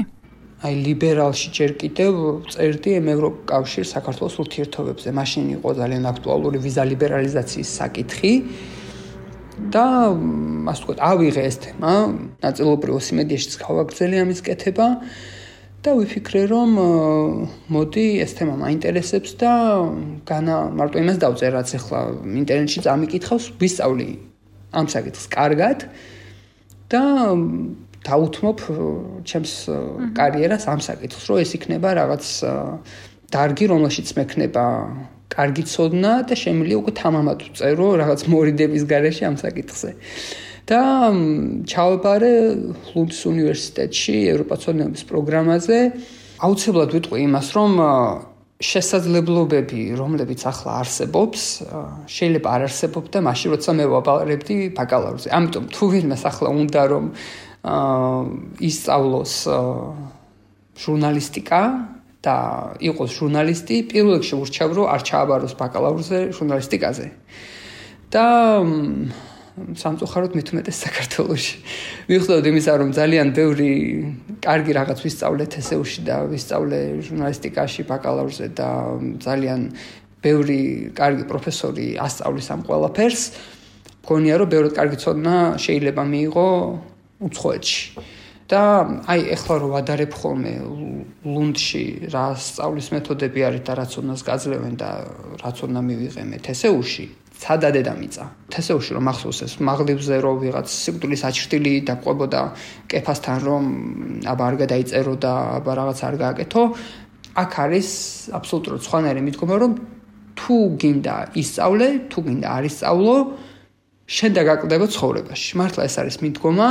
Speaker 2: აი ლიბერალში ჯერ კიდევ წერდი ევროკავშირის საქართველოს ურთიერთობებზე. მაშინ იყო ძალიან აქტუალური ვიზა ლიბერალიზაციის საკითხი და ასე ვთქვათ, ავიღე ეს თემა, ნაწილობრივ ოსიმედიაშიც გავაგრძელე ამის კეთება და ვიფიქრე რომ მოდი ეს თემა მაინტერესებს და განა მარტო იმას დავწერ, რაც ახლა ინტერნეტში წამიკითხავს, ვისწავლი ამ საკითხს კარგად და დაუთმობ ჩემს კარიერას ამ საკითხს, რომ ეს იქნება რაღაც დარგი, რომელშიც მექნება კარგი ცოდნა და შემიძლია უკვე თამამად ვწერო რაღაც მორიდების გარეშე ამ საკითხზე. და ჩავაბარე ლუნდის უნივერსიტეტში ევროპაცოდნეობის პროგრამაზე. აუცილებლად ვიტყვი იმას, რომ შესაძლებლობები, რომლებიც ახლა არსებობს, შეიძლება არ არსებობდა მაშინ, როცა მე ვაბარებდი ბაკალავრზე. ამიტომ თუ ვინმეს ახლა უნდა რომ ისწავლოს ჟურნალისტიკა და იყოს ჟურნალისტი, პირველ რიგში ურჩევ რომ არ ჩააბაროს ბაკალავრზე ჟურნალისტიკაზე. და სამწუხაროდ მით უმეტეს საქართველოში. მივხვდები იმისა, რომ ძალიან ბევრი კარგი რაღაც ვისწავლე თესეუში და ვისწავლე ჟურნალისტიკაში ბაკალავრზე და ძალიან ბევრი კარგი პროფესორი ასწავლის ამ ყველაფერს. მგონია რომ ბევრად კარგი ცოდნა შეიძლება მიიღო უცხოეთში. და აი ეხლა რომ ვადარებ ხოლმე ლუნდში რა სწავლის მეთოდები არის და რაც უნდას გაძლევენ და რაც უნდა მივიღე მე თესეუში, ცადადე დამიწა. თესეუში რომ ახსოვს ეს მაღლივზე რომ ვიღაც სიკვდილის აჩრდილი დაყვებოდა კეფასთან რომ აბა არ გადაიწერო და აბა რაღაც არ გააკეთო, აქ არის აბსოლუტურად სხვანაირი მიდგომა რომ თუ გინდა ისწავლე, თუ გინდა არ ისწავლო, შენ დაგაკლდება ცხოვრებაში. მართლა ეს არის მიდგომა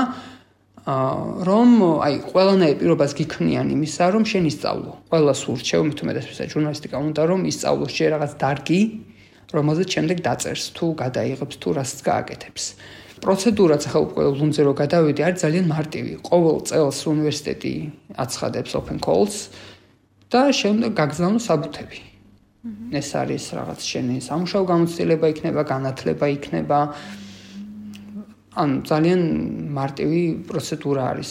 Speaker 2: რომ აი ყველანაირ პირობას გიქმნიან იმისა რომ შენ ისწავლო. ყველას ურჩევ მით უმეტეს ჟურნალისტიკა უნდა რომ ისწავლოს შე რაღაც დარგი, რომელზეც შემდეგ დაწერს, თუ გადაიღებს, თუ რასაც გააკეთებს. პროცედურაც ახლა უკვე ლუნზე რო გადავიდი, არის ძალიან მარტივი. ყოველ წელს უნივერსიტეტი აცხადებს open calls და შემდეგ გაგზავნო საბუთები. ეს არის რაღაც შენი სამუშაო გამოცდილება იქნება, განათლება იქნება. ძალიან მარტივი პროცედურა არის.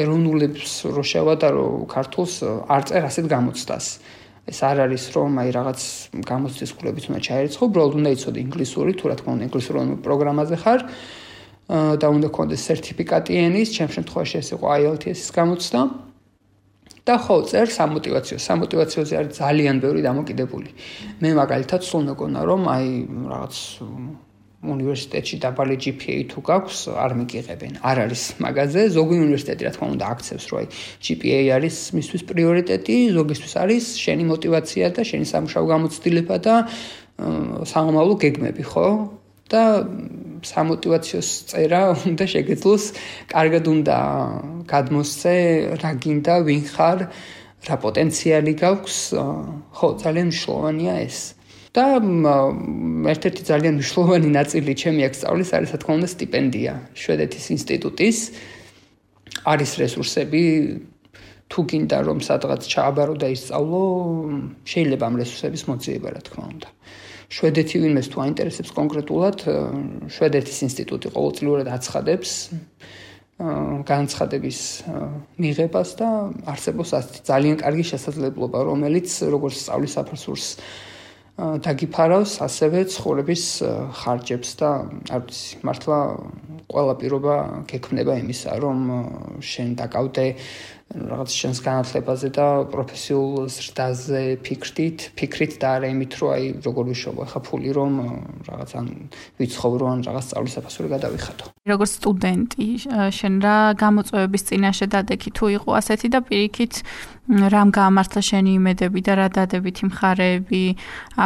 Speaker 2: ეროვნულებს რო შევადარო ქართულს არ წერ ასეთ გამოცდას. ეს არ არის რომ აი რაღაც გამოცდის კვლევით უნდა ჩაერიცხო, უბრალოდ უნდა იცოდე ინგლისური, თუ რა თქმა უნდა ინგლისური პროგრამაზე ხარ და უნდა გქონდეს სერტიფიკატი ენის, ჩემ შემთხვევაში ეს იყო IELTS-ის გამოცდა. და ხო, წერ სამოტივაციოზე არის ძალიან ბევრი დამოკიდებული. მე მაგალითად სულ მეგონა რომ აი რაღაც უნივერსიტეტში დაბალი GPA თუ გაქვს, არ მიგიღებენ. არ არის მაგაზე, ზოგი უნივერსიტეტი რა თქმა უნდა აქცევს, რომ აი GPA არის მისთვის პრიორიტეტი, ზოგისთვის არის შენი мотиваცია და შენი სამუშაო გამოცდილება და სამომავლო გეგმები, ხო? და სამოტივაციოს წერა უნდა შეგეძლოს, კარგად უნდა გადმოსცე, რა გინდა, ვინ ხარ, რა პოტენციალი გაქვს, ხო, ძალიან მნიშვნელოვანია ეს. და ერთ-ერთი ძალიან მნიშვნელოვანი ნაწილი ჩემი აქ სწავლის არის, რა თქმა უნდა, სტიპენდია შვედეთის ინსტიტუტის. არის რესურსები, თუ გინდა რომ სადღაც ჩააბარო და ისწავლო, შეიძლება ამ რესურსების მოძიება, რა თქმა უნდა. შვედეთი ვინმეს თუ აინტერესებს კონკრეტულად, შვედეთის ინსტიტუტი ყოველწლიურად აცხადებს განცხადების მიღებას და არსებობს ძალიან კარგი შესაძლებლობა, რომელიც როგორც სწავლის საფასურს დაგიფარავს, ასევე ცხოვრების ხარჯებს და არ ვიცი, მართლა ყველა პირობა გექმნება იმისა, რომ შენ დაკავდე რაღაც შენს განათლებაზე და პროფესიულ ზრდაზე ფიქრით და არა იმით, რომ აი როგორ ვიშობო, ხა ფული რომ რაღაც ან ვიცხოვრო ან რაღაც სწავლის საფასური გადავიხადო.
Speaker 1: როგორც სტუდენტი, შენ რა გამოწვევების წინაშე დადექი თუ იყო ასეთი და პირიქით რამ გაამართლა შენი იმედები და რა დადებითი მხარეები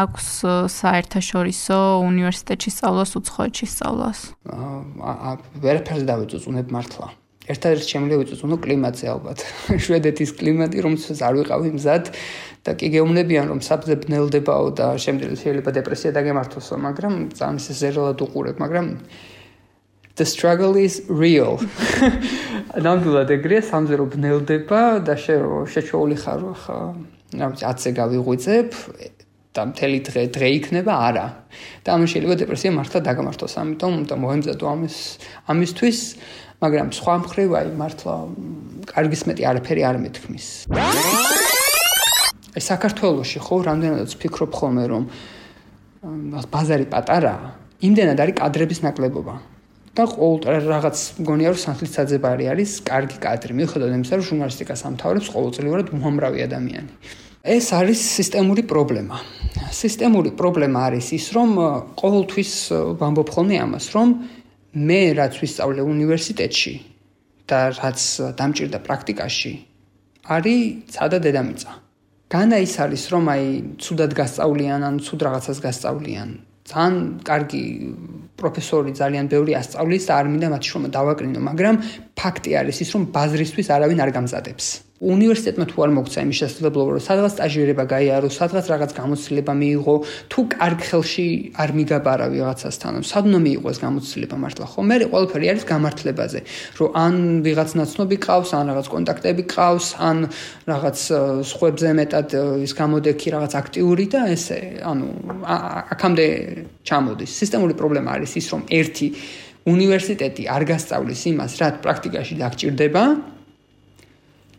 Speaker 1: აქვს საერთაშორისო უნივერსიტეტში სწავლას, უცხოეთში სწავლას?
Speaker 2: ვერაფერს დავიწუწუნებ მართლა. ერთადერთი შემიძლია ვიწუწუნო კლიმატზე ალბათ. შვედეთის კლიმატი, რომელსაც არ ვიყავი მზად და კი გეუბნებიან რომ საფზე ბნელდებაო და შემდეგ შეიძლება დეპრესია დაგემართოსო, მაგრამ ძალიან ზერალად უყურებ, მაგრამ the struggle is real. ნამდვილად ეგრეა, სამზე რომ ბნელდება და შეჩვეული ხარ ხა, რა ვიცი, 10-ზე გავიღვიძებ და მთელი დღე იქნება არა. და ამან შეიძლება დეპრესია მართლა დაგამართოს, ამიტომ უნდა მოემზადო ამისთვის, მაგრამ სხვა მხრივ აი მართლა კარგის მეტი არაფერი არ მეთქმის. აი საქართველოში ხო რამდენადაც ვფიქრობ ხოლმე რომ ბაზარი პატარაა, იმდენად არის კადრების ნაკლებობა. და ყოველ რაღაც მგონია რომ სანთლისაძებარი არის კარგი კადრი. მიუხედავად იმისა, რომ ჟურნალისტიკას ამთავრებს ყოველწლიურად უამრავი ადამიანი. ეს არის სისტემური პრობლემა. სისტემური პრობლემა არის ის, რომ ყოველთვის ვამბობ ხოლმე ამას, რომ მე რაც ვისწავლე უნივერსიტეტში და რაც დამჭირდა პრაქტიკაში, არის ცადა დედამიწა. განა ის არის, რომ აი ცუდად გასწავლიან ან ცუდ რაღაცას გასწავლიან. ძალიან კარგი პროფესორი ძალიან ბევრი ასწავლის და არ მინდა მათ შრომა დავაკრინო, მაგრამ ფაქტი არის ის, რომ ბაზრისთვის არავინ არ გამზადებს. უნივერსიტეტმა თუ არ მოგცა იმის შესაძლებლობა, რომ სადღაც სტაჟირება გაიარო, სადღაც რაღაც გამოცდილება მიიღო, თუ კარგ ხელში არ მიგაბარა ვიღაცასთან, სად უნდა მიიღო ეს გამოცდილება მართლა ხო? მე ყველაფერი არის გამართლებაზე, რომ ან ვიღაც ნაცნობი ყავს, ან რაღაც კონტაქტები ყავს, ან რაღაც სხვებზე მეტად ის გამოდექი რაღაც აქტიური და ესე, ანუ აქამდე ჩამოდის. სისტემური პრობლემა არის ის, რომ ერთი უნივერსიტეტი არ გასწავლის იმას, რაც პრაქტიკაში დაგჭირდება.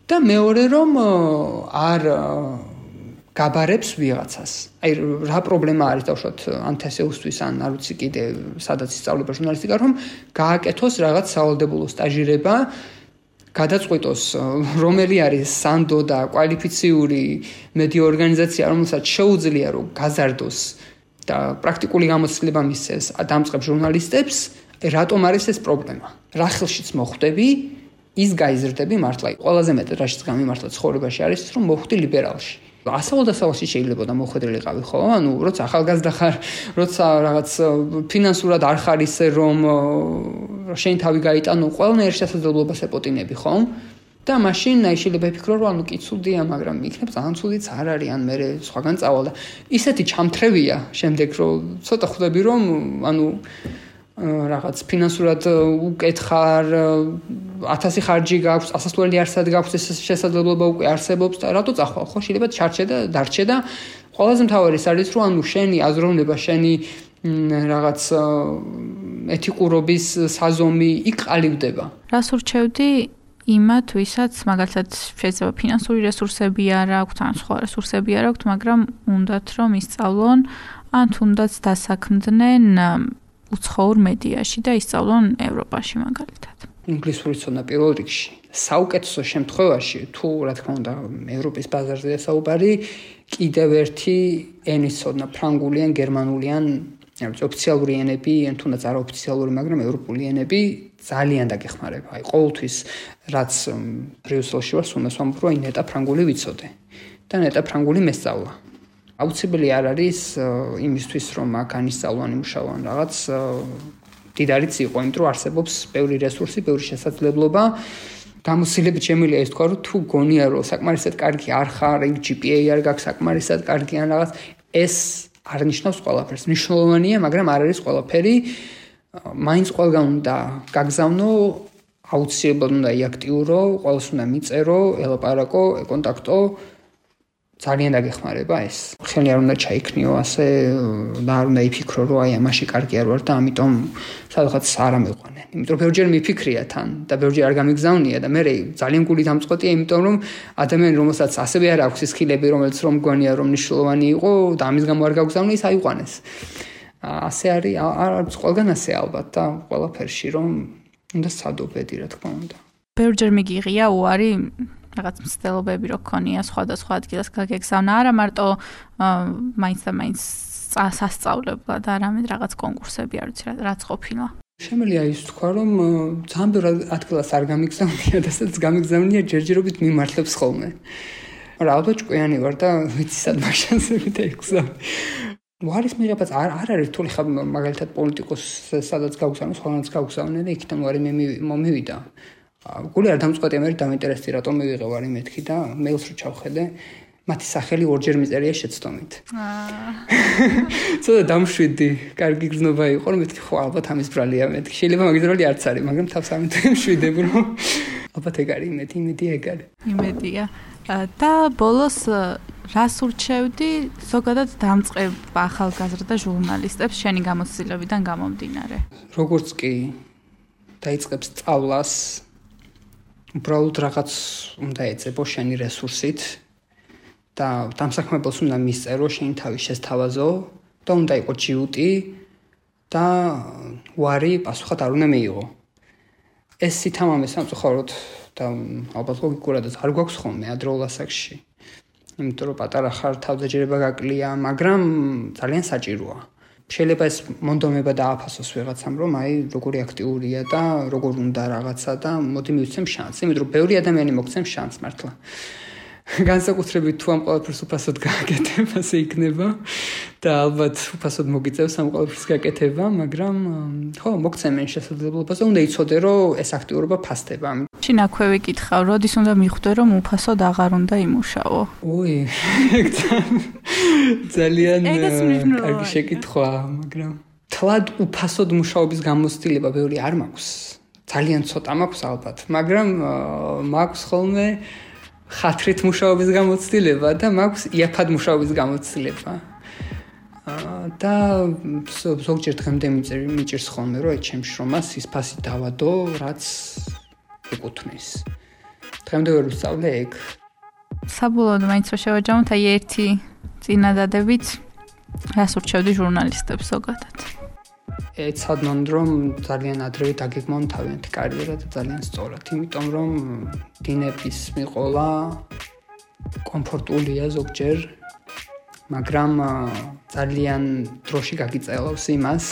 Speaker 2: და მეორე რომ არ გაბარებს ვიღაცას. აი რა პრობლემა არის დავუშვათ ანთესეუსთვის ან არ ვიცი კიდე სადაც ისწავლება ჟურნალისტიკა, რომ გააკეთოს რაღაც სავალდებულო სტაჟირება, გადაწყვიტოს რომელი არის სანდო და კვალიფიციური მედია ორგანიზაცია, რომელსაც შეუძლია რომ გაზარდოს და პრაქტიკული გამოცდილება მისცეს დამწყებ ჟურნალისტებს, რატომ არის ეს პრობლემა? რა ხელშიც მოხვდები? ის გაიზრდები მართლა. ყველაზე მეტად რაშიც გამიმართლა ცხოვრებაში არის ის, რომ მოხვდი ლიბერალში. ასწავლო-დასავალში შეიძლება და მოხვედრილიყავი, ხო? ანუ როცა ახალგაზრდა ხარ, როცა რაღაც ფინანსურად არ ხარ ისე რომ შენი თავი გაიტანო, ყველანაირ შესაძლებლობას ეპოტინები, ხო? და მაშინ შეიძლება იფიქრო, რომ ანუ კი ცუდია, მაგრამ იქნებ ძალიან ცუდიც არ არის, ან მე სხვაგან წავალ და ისეთი ჩამთრევია შემდეგ, რომ ცოტა ხვდები, რომ ანუ რაღაც ფინანსურად უკეთხარ 1000 ხარჯი გაქვს, ასასვლელი არსად გაქვს, ეს შესაძლებლობა უკვე არსებობს და რატო წახვალ, ხო? შეიძლება ჩარჩე და დარჩე და ყველაზე მთავარი ის არის, რომ ანუ შენი აზროვნება, შენი რაღაც ეთიკურობის საზომი იქ ყალიბდება.
Speaker 1: რას ურჩევდი იმათ, ვისაც მაგალითად შეიძლება ფინანსური რესურსები არ აქვთ, ან სხვა რესურსები არ აქვთ, მაგრამ უნდათ რომ ისწავლონ, ან თუნდაც დასაქმდნენ უცხოურ მედიაში და ისწავლონ ევროპაში მაგალითად.
Speaker 2: ინგლისური ცოდნა პირველ რიგში. საუკეთესო შემთხვევაში, თუ რა თქმა უნდა, ევროპის ბაზარზეა საუბარი, კიდევ ერთი ენის ცოდნა, ფრანგული ან გერმანული ან ოფიციალური ენები, ან თუნდაც არაოფიციალური, მაგრამ ევროპული ენები ძალიან დაგეხმარება. აი, ყოველთვის რაც ბრიუსელში ვარ, უნდა ვამბობ, რომ ნეტა ფრანგული ვიცოდე და ნეტა ფრანგული მესწავლა. აუცილებელი არ არის იმისთვის, რომ აქ ანისწავლო, იმუშაო ან რაღაც დიდარიც იყო, იმიტომ რომ არსებობს ბევრი რესურსი, ბევრი შესაძლებლობა. გამოცდილებით შემიძლია ის თქვა, რომ თუ გონია, რომ საკმარისად კარგი არ ხარ, ეგ GPA არ გაქვს საკმარისად კარგი ან რაღაც, ეს არ ნიშნავს ყველაფერს. მნიშვნელოვანია, მაგრამ არ არის ყველაფერი. მაინც ყველგან უნდა გაგზავნო, აუცილებლად უნდა იაქტიურო, ყველას უნდა მიწერო, ელაპარაკო, ეკონტაქტო. ძალიან დაგეხმარება ეს. ხელი არ უნდა ჩაიქნიო ასე და არ უნდა იფიქრო, რომ აი ამაში კარგი არ ვარ და ამიტომ სადღაც არ ამეყვანენ. იმიტომ რომ ბევრჯერ მიფიქრია თან და ბევრჯერ არ გამიგზავნია და მე ძალიან გული დამწყვეტია, იმიტომ რომ ადამიანი რომელსაც ასევე არ აქვს სკილები, რომელიც რომ გონია რომ მნიშვნელოვანი იყო და ამის გამო არ გაგზავნე, ის აიყვანეს. ასე არის, არც ყველგან ასე ალბათ და ყველაფერში რომ უნდა სადობედი, რა თქმა უნდა.
Speaker 1: ბევრჯერ მიგიღია უარი რაღაც მცდელობები რო ქონია სხვადასხვა ადგილას გაგეგზავნა, არა მარტო მაინც და მაინც სასწავლებლად, არამედ რაღაც კონკურსები არ ვიცი რაც ყოფილა.
Speaker 2: შემიძლია ის თქვა, რომ ძალიან ბევრ ადგილას არ გამიგზავნია და სადაც გამიგზავნია ჯერჯერობით მიმართლებს ხოლმე. მაგრამ ალბათ ჭკვიანი ვარ და ვიცი სად მაშანსებით ეგზავნე. უარის მიღებაც არ არის რთული, ხა მაგალითად პოლიტიკოსს სადაც გავგზავნე, ხოლმეც გავგზავნე და იქიდან უარი მომივიდა. გული არ დამწყვეტია, მე დამინტერესდი რატომ მივიღე ვარი მეთქი და მეილს რო ჩავხედე, მათი სახელი ორჯერ მიწერია შეცდომით. ცოტა დამშვიდი, კარგი გზნობა იყო, რომ მეთქი ხო ალბათ ამის ბრალია მეთქი. შეიძლება მაგის ბრალი არც არის, მაგრამ თავს ამიტომ მშვიდებ, რომ ალბათ ეგ არის იმედი ეგ არის.
Speaker 1: იმედია. და ბოლოს რას ურჩევდი ზოგადად დამწყებ ახალგაზრდა ჟურნალისტებს შენი გამოცდილებიდან გამომდინარე?
Speaker 2: როგორც კი დაიწყებს სწავლას, უბრალოდ რაღაც უნდა ეწებო შენი რესურსით და დამსაქმებელს უნდა მისწერო, შენი თავი შესთავაზო და უნდა იყოს ჯიუტი და უარი პასუხად არ უნდა მიიღო. ეს სითამამე სამწუხაროდ და ალბათ ლოგიკურადაც არ გვაქვს ხოლმე ადრეულ ასაკში. იმიტომ რომ პატარა ხარ, თავდაჯერება გაკლია, მაგრამ ძალიან საჭიროა. შეიძლება ეს მონდომება დააფასოს ვიღაცამ, რომ აი როგორი აქტიურია და როგორ უნდა რაღაცა და მოდი მივცემ შანსი, იმიტომ რომ ბევრი ადამიანი მოგცემს შანსს მართლა. განსაკუთრებით თუ ამ ყველაფერს უფასოდ გააკეთებ, ასე იქნება და ალბათ უფასოდ მოგიწევს ამ ყველაფერს გაკეთება, მაგრამ ხო, მოგცემენ შესაძლებლობას და უნდა იცოდე, რომ ეს აქტიურობა ფასდება.
Speaker 1: შენ აქვე ვიკითხავ, როდის უნდა მიხვდე, რომ უფასოდ აღარ უნდა იმუშაო?
Speaker 2: ოი, ძალიან კარგი შეკითხვა, მაგრამ თლად უფასოდ მუშაობის გამოცდილება ბევრი არ მაქვს. ძალიან ცოტა მაქვს ალბათ, მაგრამ მაქვს ხოლმე ხათრით მუშაობის გამოცდილება და მაქვს იაფად მუშაობის გამოცდილება. და ზოგჯერ დღემდე მიჭირს ხოლმე, რომ ჩემ შრომას ის ფასი დავადო, რაც ეკუთვნის. დღემდე ვერ ვსწავლე ეგ.
Speaker 1: საბოლოოდ მაინც რა შევაჯამოთ, აი ერთი წინადადებით რას ურჩევდი ჟურნალისტებს ზოგადად?
Speaker 2: ეცადონ, რომ ძალიან ადრევე დაგეგმონ თავიანთი კარიერა და ძალიან სწორად, იმიტომ რომ დინების მიყოლა კომფორტულია ზოგჯერ, მაგრამ ძალიან დროში გაგიწელავს იმას,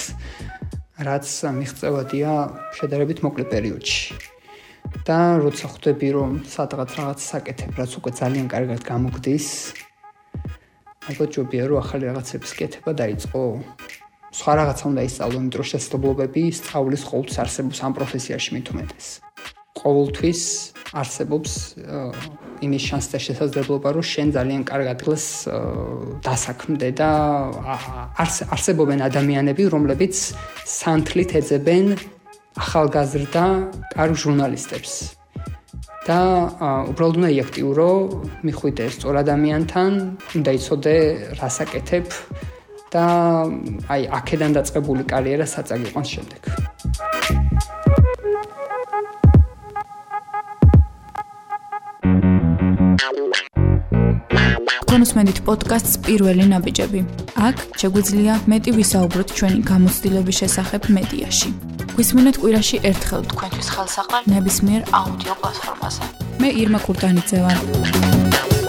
Speaker 2: რაც მიღწევადია შედარებით მოკლე პერიოდში. და როცა ხვდები, რომ სადღაც რაღაც საკეთებ, რაც უკვე ძალიან კარგად გამოგდის, ალბათ ჯობია, რომ ახალი რაღაცების კეთება დაიწყო. სხვა რაღაცა უნდა ისწავლო, იმიტომ რომ შესაძლებლობები სწავლის ყოველთვის არსებობს ამ პროფესიაში მით უმეტეს. ყოველთვის არსებობს იმის შანსი და შესაძლებლობა, რომ შენ ძალიან კარგ ადგილს დასაქმდე და არსებობენ ადამიანები, რომლებიც სანთლით ეძებენ ახალგაზრდა კარგ ჟურნალისტებს. და უბრალოდ უნდა იაქტიურო, მიხვიდე სწორ ადამიანთან, უნდა იცოდე რას აკეთებ და აი აქედან დაწყებული კარიერა საწაგ იყვანს შემდეგ.
Speaker 1: კონსმენდით პოდკასტს პირველი ნაბიჯები. აქ შეგვიძლია მეტი ვისაუბროთ ჩვენი გამოცდილების შესახებ მედიაში. გვისმინეთ კვირაში ერთხელ თქვენთვის ხელსაყრელ ნებისმიერ აუდიო პლატფორმაზე. მე ირმა კურტანიძე ვარ.